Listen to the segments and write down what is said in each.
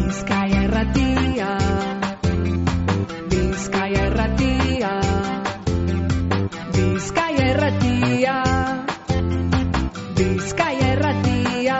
Bizkaia Irratia, Bizkaia Irratia, Bizkaia Irratia, Bizkaia Irratia.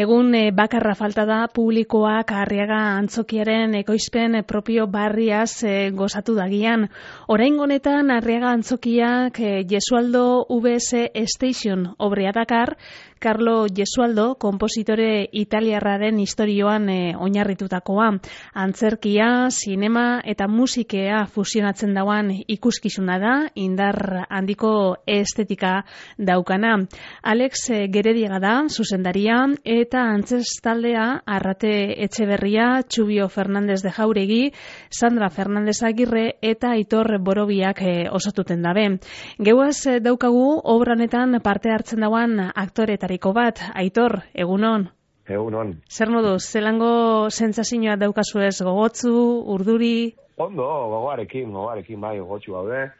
Egun bakarra falta da publikoak Arriaga antzokiaren ekoizpen propio barriaz gozatu dagian. Oraingo honetan Arriaga antzokiak Gesualdo VS Station obrea dakar, Carlo Gesualdo, konpositore italiarraren istorioan oinarritutakoa. Antzerkia, sinema eta musikea fusionatzen dauan ikuskizuna da, indar handiko estetika daukana. Alex Gerediaga da, zuzendaria, eta antzestaldea Arrate Etxeberria, Txubio Fernandez de Jauregi, Sandra Fernandez Agirre eta Aitor Borobiak osatuten dabe. Geuaz daukagu obranetan parte hartzen dauan aktoretariko bat. Aitor, egunon? Egunon. Zer moduz, zelango sentsazioa daukazu ez, gogotzu, urduri? Ondo, gogoarekin, bai, gogotsu gaude.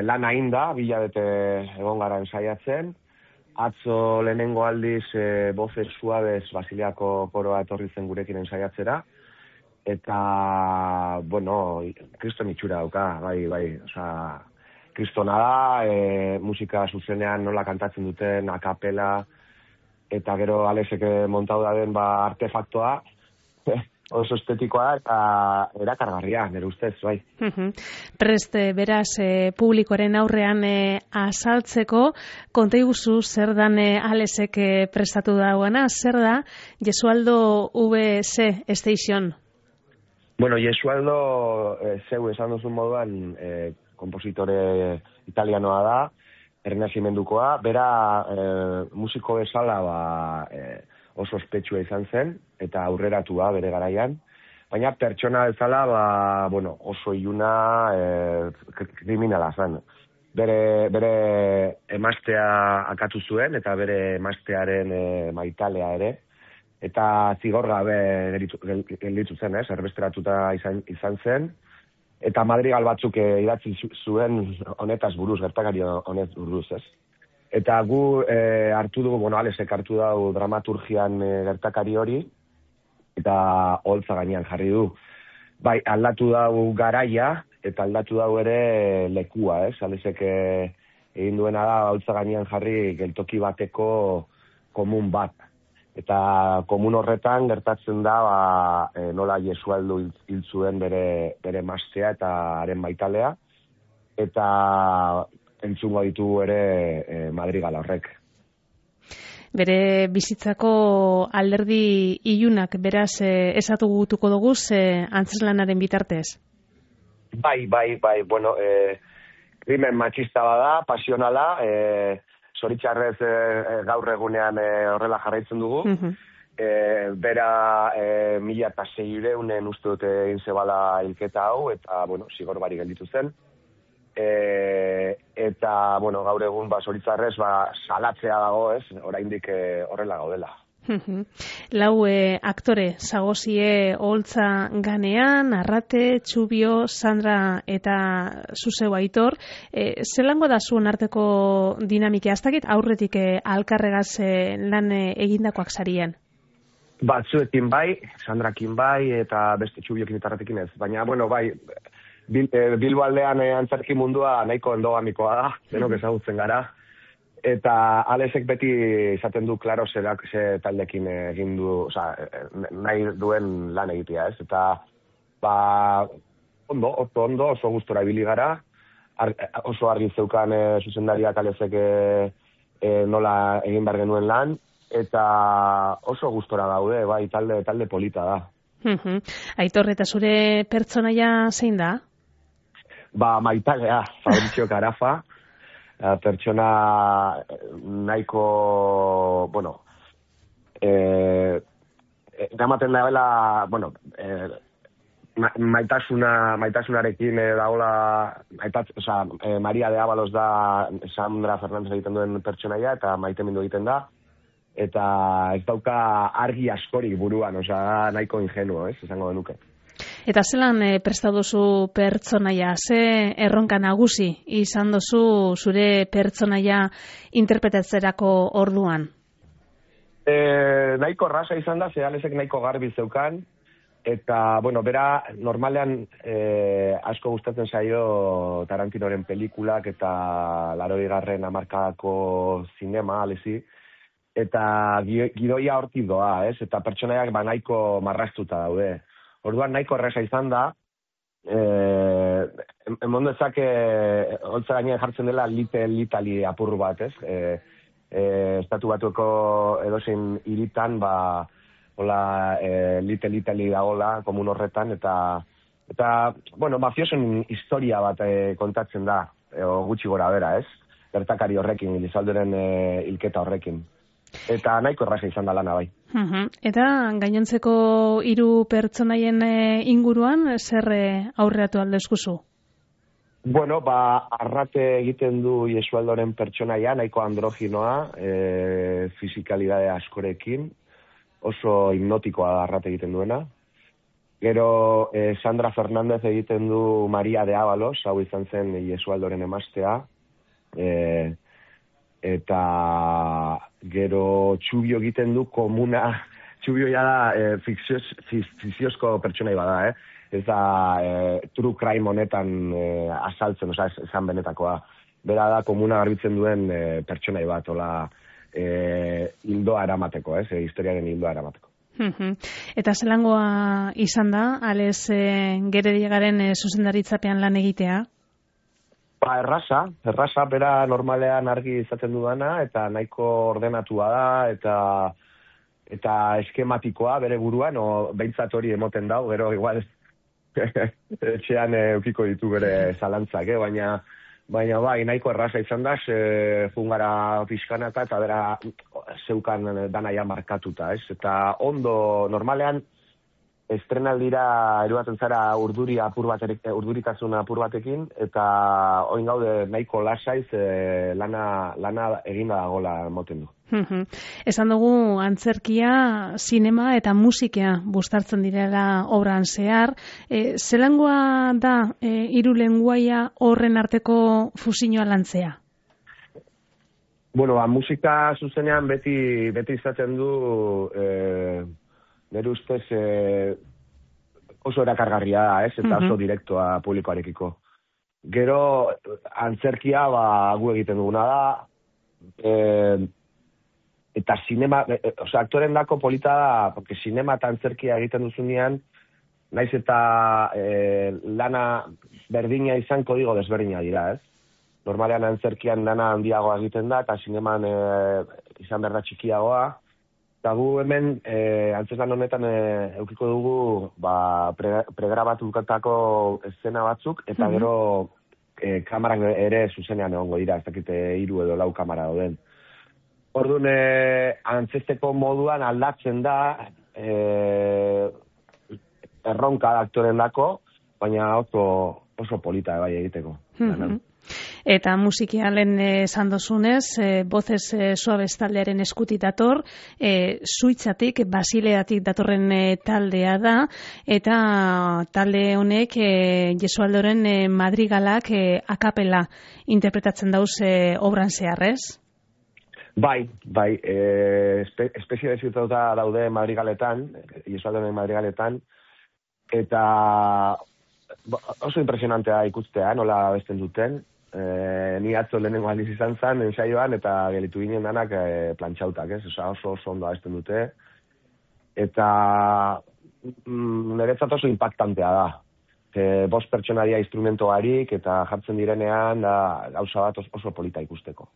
Lan ainda, bilabete egon gara ensaiatzen. Atzo lehenengo aldiz Voces Suaves Basiliako koroa etorri zen gurekin ensaiatzera. Eta, bueno, kriston itxura dauka, bai, osea, kristona da, musika zuzenean nola kantatzen duten, akapela, eta gero Alexek montau da den artefaktoa, oso estetikoa eta erakargarria, nire ustez, bai. Prest, beraz, publikoaren aurrean azaltzeko, konta iguzu zer dan Alexek prestatu dauana, zer da Gesualdo VS Station? Bueno, Gesualdo, zeu esan duzun moduan, kompositore italianoa da, errenazimendukoa, bera musiko bezala oso ospetsua izan zen, eta aurreratua bere garaian, baina pertsona bezala oso iluna, kriminala zen. Bere emaztea akatu zuen, eta bere emaztearen maitalea ere, eta zigor gabe gelditu zen, erbesteratuta izan zen, eta madrigal batzuk idatzi zuen honetaz buruz, gertakari honez buruz, ez? Eta gu hartu dugu, Alexek hartu dugu dramaturgian gertakari hori, eta holtza gainean jarri du. Bai, aldatu dugu garaia, eta aldatu dugu ere lekua, ez? Alexek egin duena da, holtza gainean jarri geltoki bateko komun bat. Eta komun horretan gertatzen da nola Gesualdo hil zuen bere emaztea eta haren maitalea, eta entzungo ditu ere madrigal horrek. Bere bizitzako alderdi ilunak beraz esatu gutuko dugu antzeslanaren bitartez? Bai, bueno, krimen matxista bada, pasionala, zoritxarrez gaur egunean horrela jarraitzen dugu. Bera 1600 uste dute egin zebala hilketa hau, eta, zigor barik gelditu zen. Eta, gaur egun zoritxarrez salatzea dago, ez? Oraindik horrela gaudela. Lau aktore zagozie holtza ganean, Arrate, Txubio, Sandra eta zuzeu Aitor. Zelango da zuen arteko dinamika? Ez dakit aurretik alkarregaz lan egindakoak zarien? Batzuekin bai, Sandrakin bai, eta beste Txubiokin eta Arratekin ez. Baina, bai, Bilbo aldean antzerki mundua nahiko endogamikoa da, denok ezagutzen gara. Eta Alexek beti izaten du, klaro, ze taldekin egin du, nahi duen lan egitea, ez? Eta, ondo, oso gustora ibili gara, oso argi zeukan zuzendariak Alexek nola egin behar genuen lan, eta oso gustora daude, bai, talde polita da. Aitor, eta zure pertsonaia zein da? Maitalea, Fabrizio Carafa, pertsona nahiko, gamaten dagoela, maitasunarekin dagoela, Maria de Ábalos da Sandra Fernandez egiten duen pertsonaia, eta maitemindu egiten da, eta ez dauka argi askorik buruan, nahiko ingenuo, esango denuke. Eta zelan prestatu duzu pertsonaia, ze erronka nagusi izan duzu zure pertsonaia interpretatzerako orduan? nahiko rasa izan da, Alesek nahiko garbi zeukan, eta, bera, normalean asko gustatzen zaio Tarantinoren pelikulak eta 80. hamarkadako zinema, Alesi, eta gidoia hortik doa, ez? Eta pertsonaiak nahiko marraztuta daude. Orduan nahiko erresa izan da, emondo ezak holtza gainean jartzen dela Little Italy apur bat, ez? Estatu Batueko edozein hiritan, hola, Little Italy dagola, komun horretan, eta mafiosen historia bat kontatzen da, gutxi gora bera, ez? Gertakari horrekin, Elizaldoren hilketa horrekin. Eta nahiko erraza izan da lana bai. Eta gainontzeko 3 pertsonaien inguruan, zer aurreatu aldezkuzu? Arrate egiten du Jesualdoren pertsonaia, nahiko androginoa, fisikalidade askorekin, oso hipnotikoa da Arrate egiten duena. Gero Sandra Fernández egiten du Maria de Ábalos, hau izan zen Jesualdoren emaztea, eta gero Txubio egiten du komuna, Txubio ja da fikziozko pertsonai bada, ez da true crime honetan azaltzen, esan benetakoa. Bera da komuna garbitzen duen pertsonai bat, hola, hildoa eramateko, historiaren hildoa eramateko. Eta zelangoa izan da, Ales Gerediagaren zuzendaritzapean lan egitea? Erraza, bera normalean argi izaten dudana, eta nahiko ordenatua da, eta eskematikoa bere buruan, behintzat hori emoten dau, gero igual etxean eukiko ditu bere zalantzak, baina bai, nahiko erraza izan da, fungara pixkanaka, eta bera zeukan danaia markatuta, eta ondo, normalean, estrenaldira eruaten zara urduritasun apur batekin, eta oin gaude nahiko lasaiz lana eginda dagoela moten du. Esan dugu antzerkia, sinema eta musika bustartzen direla obran zehar. Zelangoa da 3 lenguaia horren arteko fusioa lantzea? Musika zuzenean beti izaten du nire ustez oso erakargarria da, eta oso direktoa publikoarekiko. Gero, antzerkia gu egiten duguna da, eta sinema, aktoren dako polita da, porque sinema eta antzerkia egiten duzunean, naiz eta lana berdina izan kodigo desberdina dira, ez? Normalean antzerkian lana handiagoa egiten da, eta sineman izan behar da txikiagoa. Eta gu hemen, antzeslan honetan eukiko dugu pregrabatutako eszena batzuk, eta gero kamarak ere zuzenean egongo dira, ez dakite 3 edo 4 kamara dauden. Orduan, antzesteko moduan aldatzen da, erronka da aktoren dako, baina oso polita bai egiteko. Eta musikialen esan dozunez, Voces Suaves taldearen eskutik dator, Suitzatik, Basileatik datorren taldea da, eta talde honek Jesualdoren madrigalak akapela interpretatzen dauz obran zeharrez? Bai, espezializatuta daude madrigaletan, Jesualdoren madrigaletan, eta oso impresionantea ikustea, nola abesten duten. Ni atzo lehenengo aldiz izan zen, ensaioan, eta gelitu ginen danak plantxautak, oso ondo abesten dute. Eta niretzat oso impactantea da. 5 pertsonaria instrumento harik, eta jartzen direnean, gauza bat oso polita ikusteko.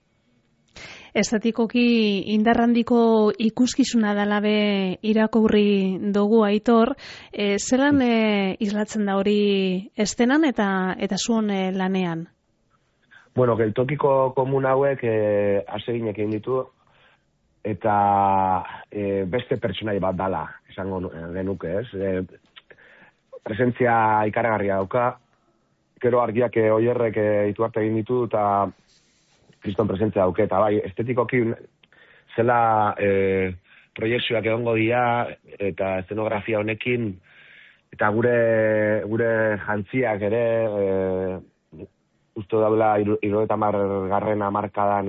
Estatikoki indarrandiko ikuskizuna dalabe irakurri dugu Aitor, zelan islatzen da hori estenan eta zuon lanean? Geltokiko komun hauek aseginek egin ditu, eta beste pertsonai bat dala, esango genuke, ez? Presentzia ikaragarria dauka, gero argiak oierrek ituarte egin ditu, eta kriston presentzia dauke, eta bai, estetikoki zela proiekzioak egongo dira, eta eszenografia honekin, eta gure jantziak ere, uste daula 70. hamarkadan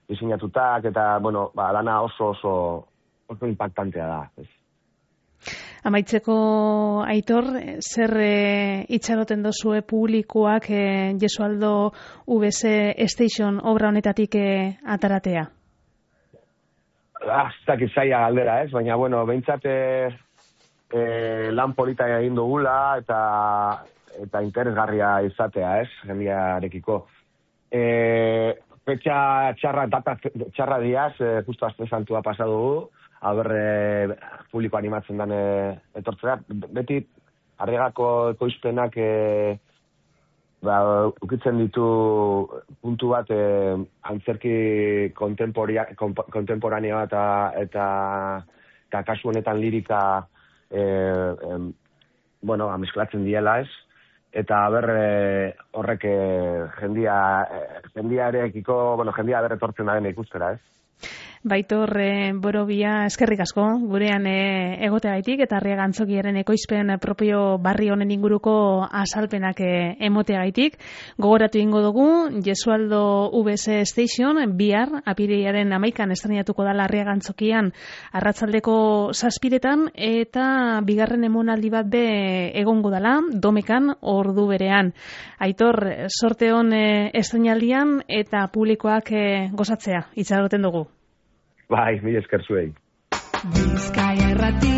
diseinatutak, eta, lana oso oso impactantea da. Ez. Amaitzeko, Aitor, zer itxaroten dozue publikoak Gesualdo VS Station obra honetatik ataratea? Aztak izaia galdera, ez? Baina, bueno, behintzat lan polita egin dugula eta interesgarria izatea, ez? Jendearekiko. Petxa txarra, data txarra diaz, justo azte santua pasa dugu, haber publiko animatzen den etortzea. Beti, Arriagako ekoizpenak ukitzen ditu puntu bat antzerki kontemporanea eta kasu honetan lirika amesklatzen diela, ez? Eta horrek jendiarekiko, jendia berretortzen da dena ikustera, ez? Baitor Borobia, eskerrik asko, gurean egoteagaitik eta Arriaga Antzokiaren ekoizpen propio barri honen inguruko azalpenak emoteagaitik. Gogoratu ingo dugu, Gesualdo VS Station, bihar, apirilaren 11an estrenatuko dela Arriaga Antzokian arratsaldeko 7:00 eta bigarren emonaldi bat egongo dela, Domekan ordu berean. Aitor, sorte on estrenaldian eta publikoak gozatzea, itxaroten dugu. Bai, mila esker zuei. Bizkaia Irrati